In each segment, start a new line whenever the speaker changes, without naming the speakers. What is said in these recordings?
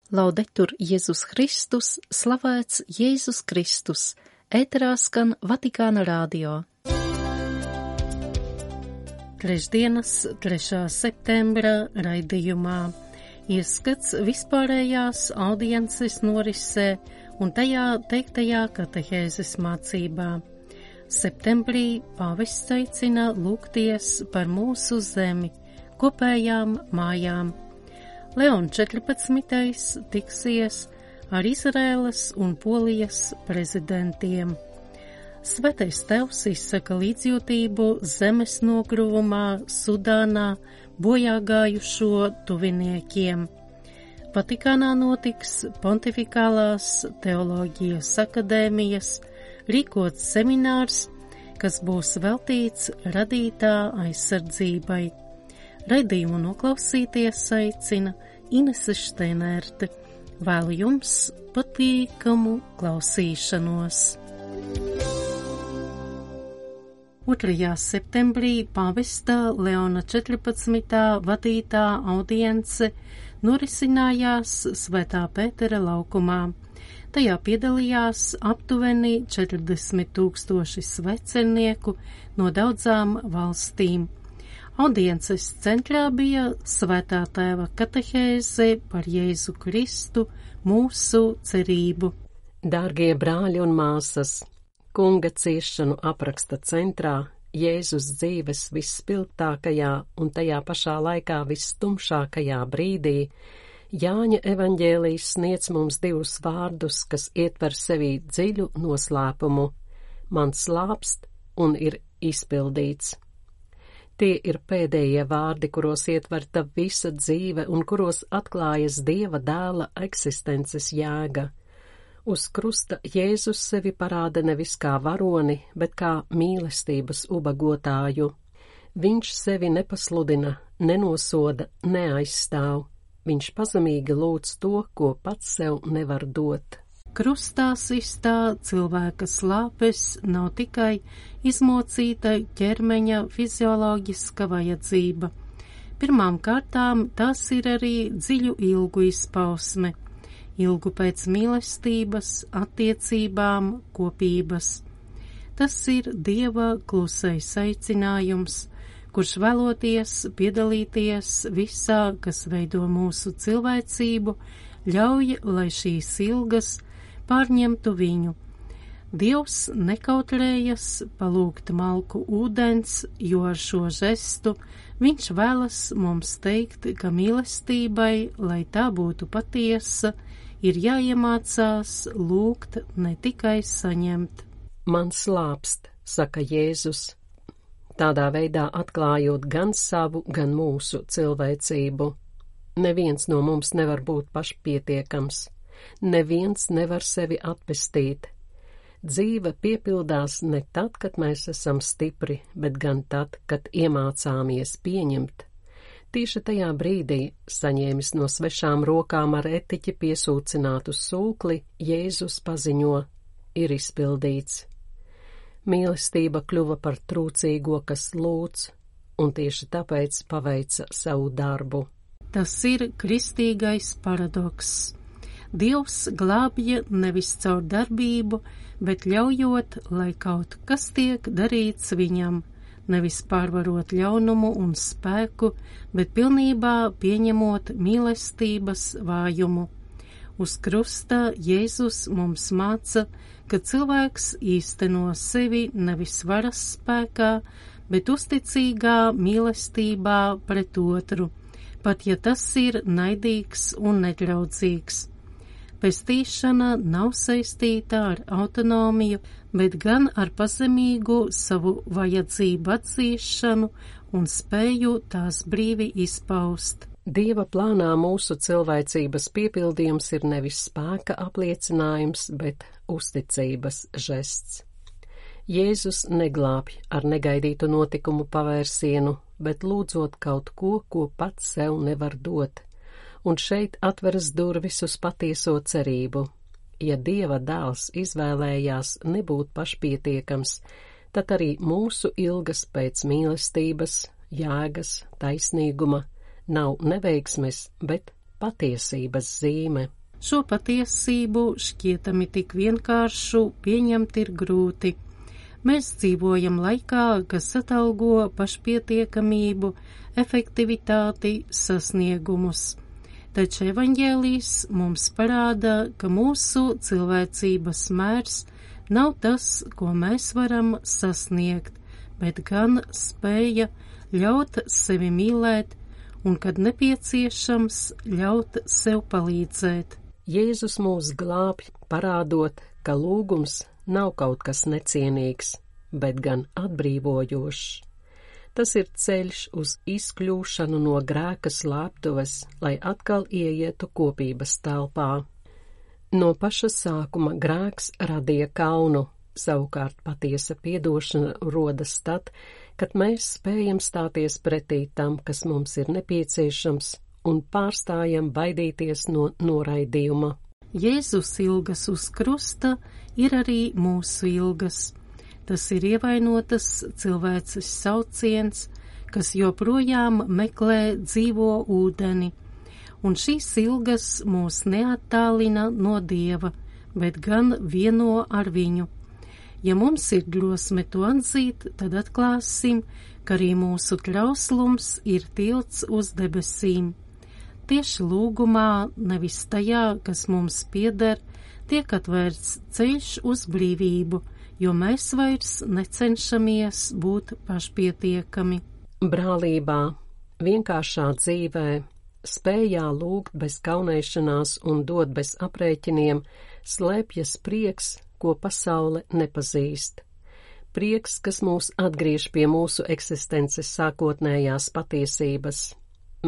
Laudetur Jēzus Kristus, slavēts Jēzus Kristus, ēterā skan Vatikāna radio. Trešdienas 3. septembra raidījumā ieskats vispārējās audiences norisē un tajā teiktajā katehēzes mācībā. Septembrī pāvests aicina lūgties par mūsu zemi, kopējām mājām. Leons 14. tiksies ar Izraēlas un Polijas prezidentiem. Svētais Tevs izsaka līdzjūtību zemes nogruvumā Sudānā bojāgājušo tuviniekiem. Vatikānā notiks Pontifikālās teoloģijas akadēmijas rīkots seminārs, kas būs veltīts radītā aizsardzībai. Raidījumu noklausīties aicina Inese Šteinerte. Vēlu jums patīkamu klausīšanos. 2. septembrī pāvesta Leona 14. vadītā audience norisinājās Svētā Pētera laukumā. Tajā piedalījās aptuveni 40,000 svecernieku no daudzām valstīm. Audiences centrā bija Svētā Tēva katehēze par Jēzu Kristu, mūsu cerību.
Dārgie brāļi un māsas, Kunga ciešanu apraksta centrā Jēzus dzīves visspilgtākajā un tajā pašā laikā visstumšākajā brīdī Jāņa evaņģēlijs sniedz mums divus vārdus, kas ietver sevī dziļu noslēpumu – man slāpst un ir izpildīts. Tie ir pēdējie vārdi, kuros ietverta visa dzīve un kuros atklājas Dieva dēla eksistences jēga. Uz krusta Jēzus sevi parāda nevis kā varoni, bet kā mīlestības ubagotāju. Viņš sevi nepasludina, nenosoda, neaizstāv. Viņš pazemīgi lūdz to, ko pats sev nevar dot.
Krustā sistā cilvēka slāpes nav tikai izmocīta ķermeņa fizioloģiska vajadzība. Pirmām kārtām tās ir arī dziļu ilgu izpausme, ilgu pēc mīlestības, attiecībām, kopības. Tas ir Dieva klusais aicinājums, kurš vēloties piedalīties visā, kas veido mūsu cilvēcību, ļauj, lai šīs ilgas pārņemtu viņu. Dievs nekautrējas palūgt malku ūdens, jo ar šo žestu viņš vēlas mums teikt, ka mīlestībai, lai tā būtu patiesa, ir jāiemācās lūgt, ne tikai saņemt.
Man slāpst, saka Jēzus, tādā veidā atklājot gan savu, gan mūsu cilvēcību. Neviens no mums nevar būt pašpietiekams. Neviens nevar sevi atpestīt. Dzīve piepildās ne tad, kad mēs esam stipri, bet gan tad, kad iemācāmies pieņemt. Tieši tajā brīdī, saņēmis no svešām rokām ar etiķi piesūcinātu sūkli, Jēzus paziņo, ir izpildīts. Mīlestība kļuva par trūcīgo, kas lūdz, un tieši tāpēc paveica savu darbu.
Tas ir kristīgais paradoks. Dievs glābja nevis caur darbību, bet ļaujot, lai kaut kas tiek darīts viņam, nevis pārvarot ļaunumu un spēku, bet pilnībā pieņemot mīlestības vājumu. Uz krusta Jēzus mums māca, ka cilvēks īsteno sevi nevis varas spēkā, bet uzticīgā mīlestībā pret otru, pat ja tas ir naidīgs un nedraudzīgs. Pestīšana nav saistīta ar autonomiju, bet gan ar pazemīgu savu vajadzību atzīšanu un spēju tās brīvi izpaust.
Dieva plānā mūsu cilvēcības piepildījums ir nevis spēka apliecinājums, bet uzticības žests. Jēzus neglābj ar negaidītu notikumu pavērsienu, bet lūdzot kaut ko, ko pats sev nevar dot. Un šeit atveras durvis uz patieso cerību. Ja Dieva dēls izvēlējās nebūt pašpietiekams, tad arī mūsu ilgas pēc mīlestības, jēgas, taisnīguma nav neveiksmes, bet patiesības zīme.
Šo patiesību šķietami tik vienkāršu pieņemt ir grūti. Mēs dzīvojam laikā, kas atalgo pašpietiekamību, efektivitāti, sasniegumus. Taču evaņģēlijs mums parāda, ka mūsu cilvēcības mērs nav tas, ko mēs varam sasniegt, bet gan spēja ļaut sevi mīlēt un, kad nepieciešams, ļaut sev palīdzēt.
Jēzus mūs glābj, parādot, ka lūgums nav kaut kas necienīgs, bet gan atbrīvojošs. Tas ir ceļš uz izkļūšanu no grēka slēptuves, lai atkal ieietu kopības telpā. No paša sākuma grēks radīja kaunu, savukārt patiesa piedošana rodas tad, kad mēs spējam stāties pretī tam, kas mums ir nepieciešams, un pārstājam baidīties no noraidījuma.
Jēzus ilgas uz krusta ir arī mūsu ilgas. Tas ir ievainotas cilvēces sauciens, kas joprojām meklē dzīvo ūdeni, un šīs ilgas mūs neattālina no Dieva, bet gan vieno ar viņu. Ja mums ir drosme to atzīt, tad atklāsim, ka arī mūsu trauslums ir tilts uz debesīm. Tieši lūgumā, nevis tajā, kas mums pieder, tiek atvērts ceļš uz brīvību, jo mēs vairs necenšamies būt pašpietiekami.
Brālībā, vienkāršā dzīvē, spējā lūgt bez kaunēšanās un dot bez aprēķiniem, slēpjas prieks, ko pasaule nepazīst. Prieks, kas mūs atgriež pie mūsu eksistences sākotnējās patiesības.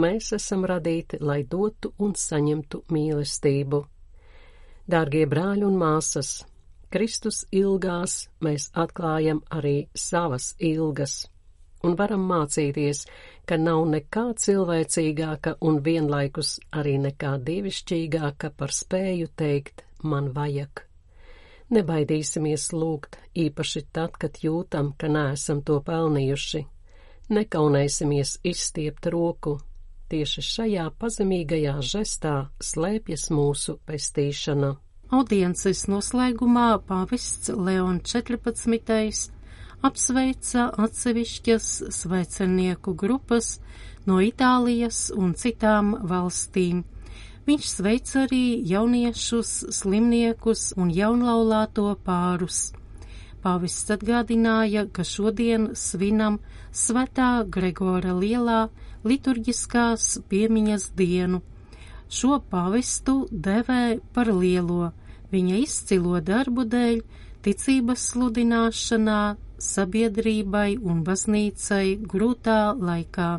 Mēs esam radīti, lai dotu un saņemtu mīlestību. Dārgie brāļi un māsas, Kristus ilgās mēs atklājam arī savas ilgas un varam mācīties, ka nav nekā cilvēcīgāka un vienlaikus arī nekā dievišķīgāka par spēju teikt man vajag. Nebaidīsimies lūgt, īpaši tad, kad jūtam, ka neesam to pelnījuši. Nekaunēsimies izstiept roku. Tieši šajā pazemīgajā žestā slēpjas mūsu pestīšana.
Audiences noslēgumā pāvests Leons 14. apsveica atsevišķas svecernieku grupas no Itālijas un citām valstīm. Viņš sveic arī jauniešus, slimniekus un jaunlaulāto pārus. Pāvests atgādināja, ka šodien svinam Svētā Gregora lielā liturģiskās piemiņas dienu. Šo pāvestu devē par lielo, viņa izcilo darbu dēļ, ticības sludināšanā, sabiedrībai un baznīcai grūtā laikā.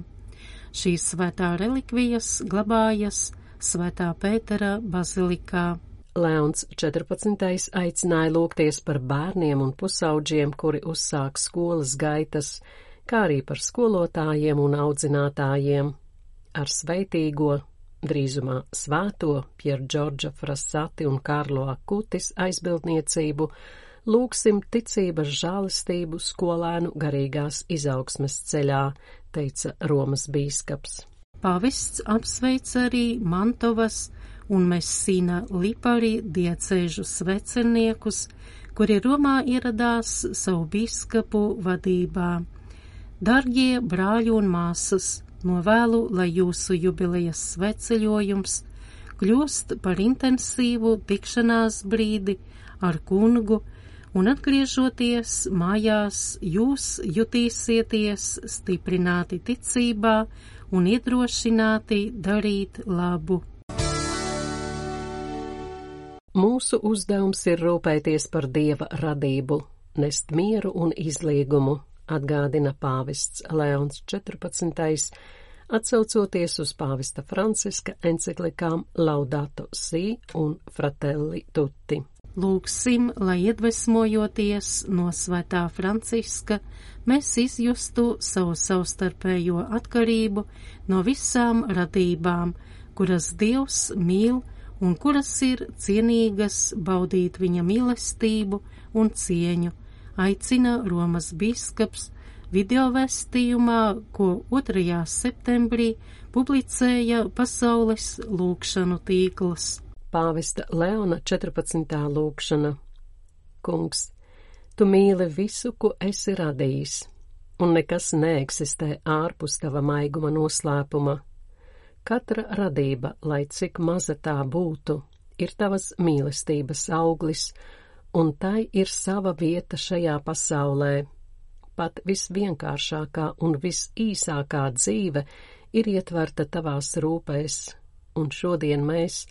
Šīs svētā relikvijas glabājas Svētā Pētera bazilikā.
Leons 14. aicināja lūgties par bērniem un pusaudžiem, kuri uzsāk skolas gaitas, kā arī par skolotājiem un audzinātājiem. Ar sveitīgo, drīzumā svēto Pier Džordža Frassati un Karlo Akutis aizbildniecību lūgsim ticības žālistību skolēnu garīgās izaugsmes ceļā, teica Romas bīskaps.
Pāvests apsveic arī Mantovas un Messina Lipari diecēžu svecerniekus, kuri Romā ieradās savu bīskapu vadībā. Dargie brāļi un māsas, novēlu, lai jūsu jubilejas sveceļojums kļūst par intensīvu tikšanās brīdi ar kungu, un atgriežoties mājās, jūs jutīsieties stiprināti ticībā un iedrošināti darīt labu.
Mūsu uzdevums ir rūpēties par Dieva radību, nest mieru un izliegumu, atgādina pāvests Leons 14. atsaucoties uz pāvesta Franciska enciklikām Laudato Si un Fratelli Tutti.
Lūgsim, lai iedvesmojoties no svētā Franciska, mēs izjustu savu savstarpējo atkarību no visām radībām, kuras Dievs mīl un kuras ir cienīgas baudīt viņa mīlestību un cieņu, aicina Romas bīskaps video vēstījumā, ko 2. septembrī publicēja Pasaules lūgšanu tīkls.
Pāvesta Leona 14. lūgšana. Kungs, tu mīli visu, ko esi radījis, un nekas neeksistē ārpus tava maiguma noslēpuma. Katra radība, lai cik maza tā būtu, ir tavas mīlestības auglis, un tai ir sava vieta šajā pasaulē. Pat visvienkāršākā un visīsākā dzīve ir ietverta tavās rūpēs, un šodien mēs,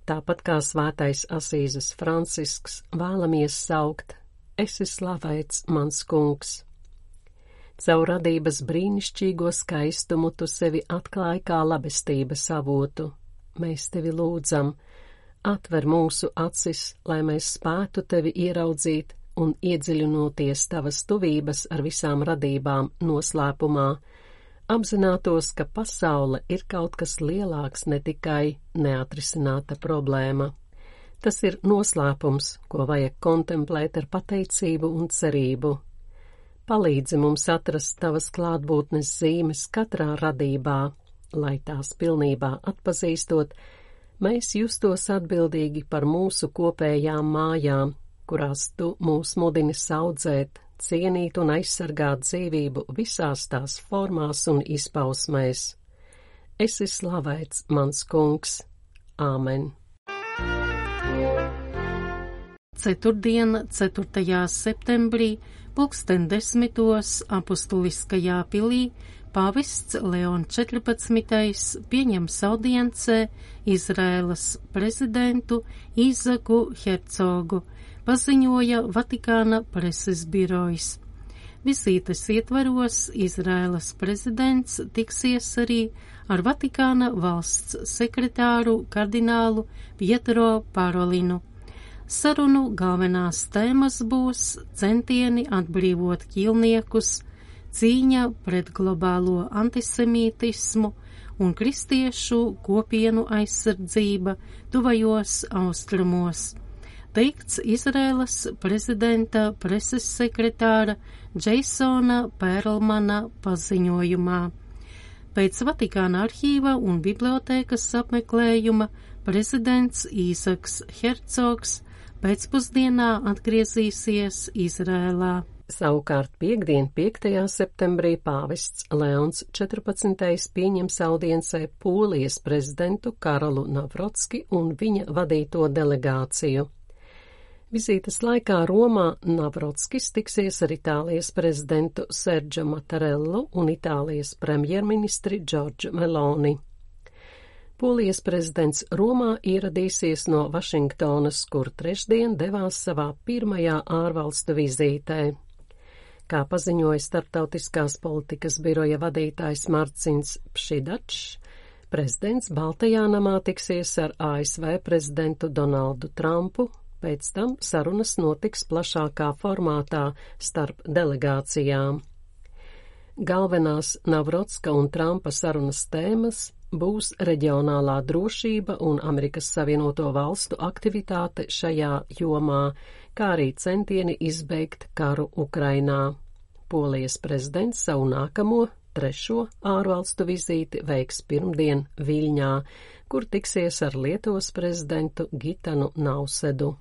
tāpat kā svētais Asīzes Francisks, vēlamies saukt: esi slavēts, mans kungs. Caur radības brīnišķīgo skaistumu tu sevi atklāji kā labestības avotu. Mēs tevi lūdzam, atver mūsu acis, lai mēs spētu tevi ieraudzīt un iedziļinoties tavas tuvības ar visām radībām noslēpumā, apzinātos, ka pasaule ir kaut kas lielāks, ne tikai neatrisināta problēma. Tas ir noslēpums, ko vajag kontemplēt ar pateicību un cerību. Palīdzi mums atrast tavas klātbūtnes zīmes katrā radībā, lai tās pilnībā atpazīstot, mēs justos atbildīgi par mūsu kopējām mājām, kurās tu mūs mudini audzēt, cienīt un aizsargāt dzīvību visās tās formās un izpausmēs. Esi slavēts, mans kungs. Āmen.
Ceturtdiena, 4. septembrī, 10:00 apustuliskajā pilī, pāvests Leon 14. pieņems audiencē Izraēlas prezidentu Īzaku Hercogu, paziņoja Vatikāna preses birojs. Vizītes ietvaros Izraēlas prezidents tiksies arī ar Vatikāna valsts sekretāru kardinālu Pietro Parolinu. Sarunu galvenās tēmas būs centieni atbrīvot ķīlniekus, cīņa pret globālo antisemītismu un kristiešu kopienu aizsardzība tuvajos austrumos, teikts Izraēlas prezidenta preses sekretāra Džeisona Pērlmana paziņojumā. Pēc Vatikāna arhīva un bibliotēkas apmeklējuma prezidents Īzaks Hercogs pēcpusdienā atgriezīsies Izrēlā.
Savukārt piekdien, 5. septembrī, pāvests Leons 14. pieņems audiencē Polijas prezidentu Karolu Navrotski un viņa vadīto delegāciju. Vizītes laikā Romā Navrotskis tiksies ar Itālijas prezidentu Sergio Mattarellu un Itālijas premjerministri Giorgia Meloni. Polijas prezidents Romā ieradīsies no Vašingtonas, kur trešdien devās savā pirmajā ārvalstu vizītē. Kā paziņoja Starptautiskās politikas biroja vadītājs Marcins Pšidačs, prezidents Baltajā namā tiksies ar ASV prezidentu Donaldu Trumpu, pēc tam sarunas notiks plašākā formātā starp delegācijām. Galvenās Navrotska un Trumpa sarunas tēmas būs reģionālā drošība un Amerikas Savienoto Valstu aktivitāte šajā jomā, kā arī centieni izbeigt karu Ukrainā. Polijas prezidents savu nākamo, 3. ārvalstu vizīti veiks pirmdien Viļņā, kur tiksies ar Lietuvas prezidentu Gitanu Nausedu.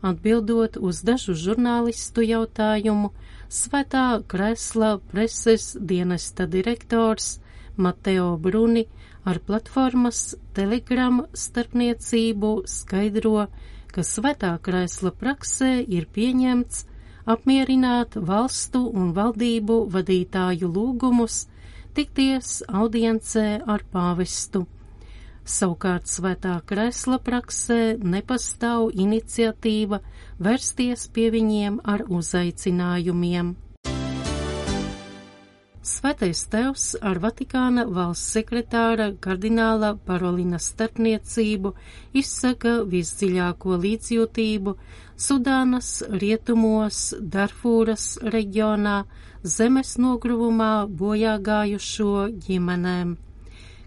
Atbildot uz dažu žurnālistu jautājumu, Svētā Kresla preses dienesta direktors Mateo Bruni ar platformas Telegram starpniecību skaidro, ka Svētā Kresla praksē ir pieņemts apmierināt valstu un valdību vadītāju lūgumus tikties audiencē ar pāvestu. Savukārt Svētā Kresla praksē nepastāv iniciatīva vērsties pie viņiem ar uzaicinājumiem. Svētais Tevs ar Vatikāna valsts sekretāra kardināla Parolina starpniecību izsaka visdziļāko līdzjūtību Sudānas rietumos, Darfūras reģionā, zemes nogruvumā bojā gājušo ģimenēm.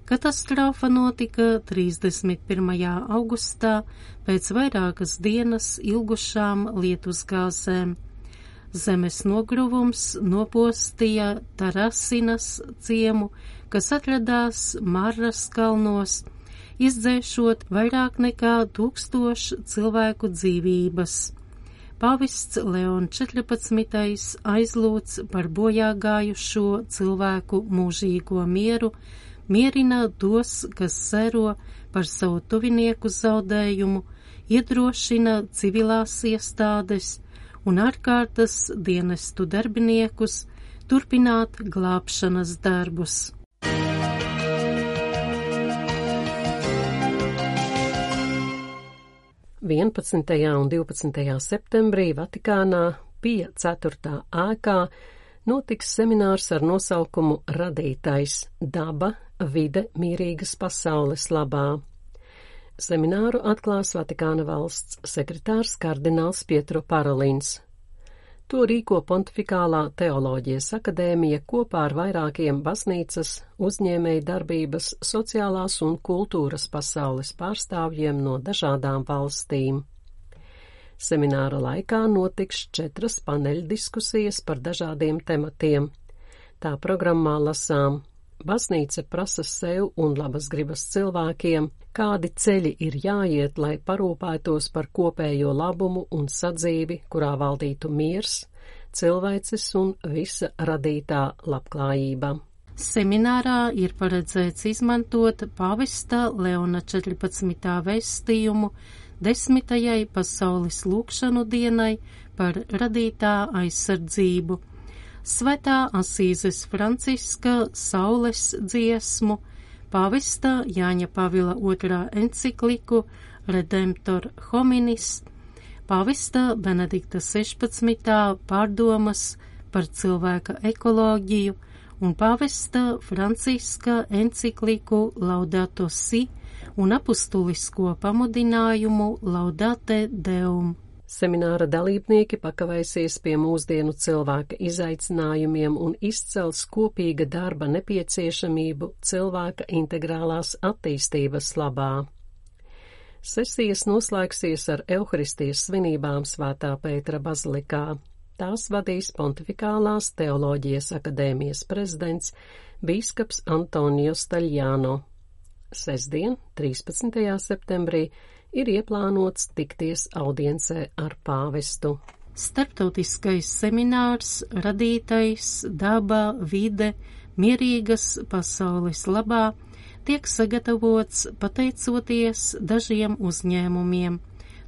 Katastrofa notika 31. augustā pēc vairākas dienas ilgušām lietusgāzēm. Zemes nogruvums nopostīja Tarasinas ciemu, kas atradās Marras kalnos, izdzēšot vairāk nekā 1000 cilvēku dzīvības. Pāvests Leon 14. aizlūdz par bojāgājušo cilvēku mūžīgo mieru, mierina tos, kas sēro par savu tuvinieku zaudējumu, iedrošina civilās iestādes un ārkārtas dienestu darbiniekus turpināt glābšanas darbus.
11. un 12. septembrī Vatikānā Pija 4. ēkā notiks seminārs ar nosaukumu Radītais – daba, vide, mierīgas pasaules labā. Semināru atklās Vatikāna valsts sekretārs kardināls Pietro Parolins. To rīko Pontifikālā teoloģijas akadēmija kopā ar vairākiem baznīcas, uzņēmēju darbības, sociālās un kultūras pasaules pārstāvjiem no dažādām valstīm. Semināra laikā notiks 4 paneļdiskusijas par dažādiem tematiem. Tā programmā lasām: baznīca prasa sev un labas gribas cilvēkiem, kādi ceļi ir jāiet, lai parūpētos par kopējo labumu un sadzīvi, kurā valdītu miers, cilvēces un visa radītā labklājība.
Seminārā ir paredzēts izmantot pāvesta Leona 14. vēstījumu 10. pasaules lūgšanu dienai par radītā aizsardzību, Svētā Asīzes Franciska saules dziesmu, pāvesta Jāņa Pavila II encikliku Redemptor hominis, pāvesta Benedikta 16. pārdomas par cilvēka ekoloģiju un pāvesta Franciska encikliku Laudato Si un apustulisko pamudinājumu Laudate Deum.
Semināra dalībnieki pakavēsies pie mūsdienu cilvēka izaicinājumiem un izcels kopīga darba nepieciešamību cilvēka integrālās attīstības labā. Sesijas noslēgsies ar Euharistijas svinībām Svētā Pētera bazilikā. Tās vadīs Pontifikālās teoloģijas akadēmijas prezidents bīskaps Antonio Staļjāno. Sestdien, 13. septembrī, ir ieplānots tikties audiencē ar pāvestu.
Starptautiskais seminārs Radītais, daba, vide, mierīgas pasaules labā tiek sagatavots pateicoties dažiem uzņēmumiem,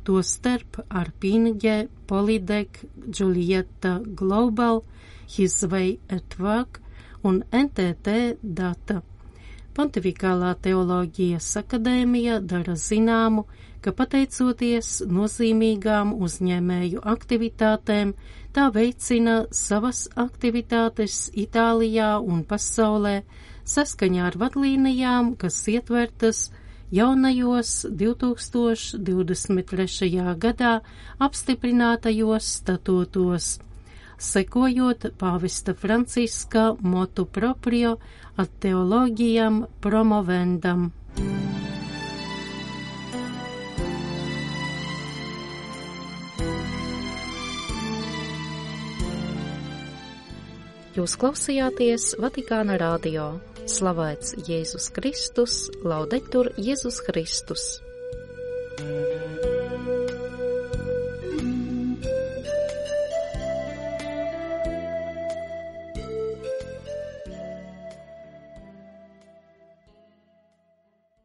tostarp Arpinge, Polydec, Julieta Global, His Way at Work un NTT Data. Pontifikālā teoloģijas akadēmija dara zināmu, ka pateicoties nozīmīgām uzņēmēju aktivitātēm, tā veicina savas aktivitātes Itālijā un pasaulē saskaņā ar vadlīnijām, kas ietvertas jaunajos 2023. gadā apstiprinātajos statūtos, sekojot pāvesta Franciska motu proprio ad theologiam promovendam. Jūs klausījāties Vatikāna radio. Slavēts Jēzus Kristus, laudetur Jēzus Kristus.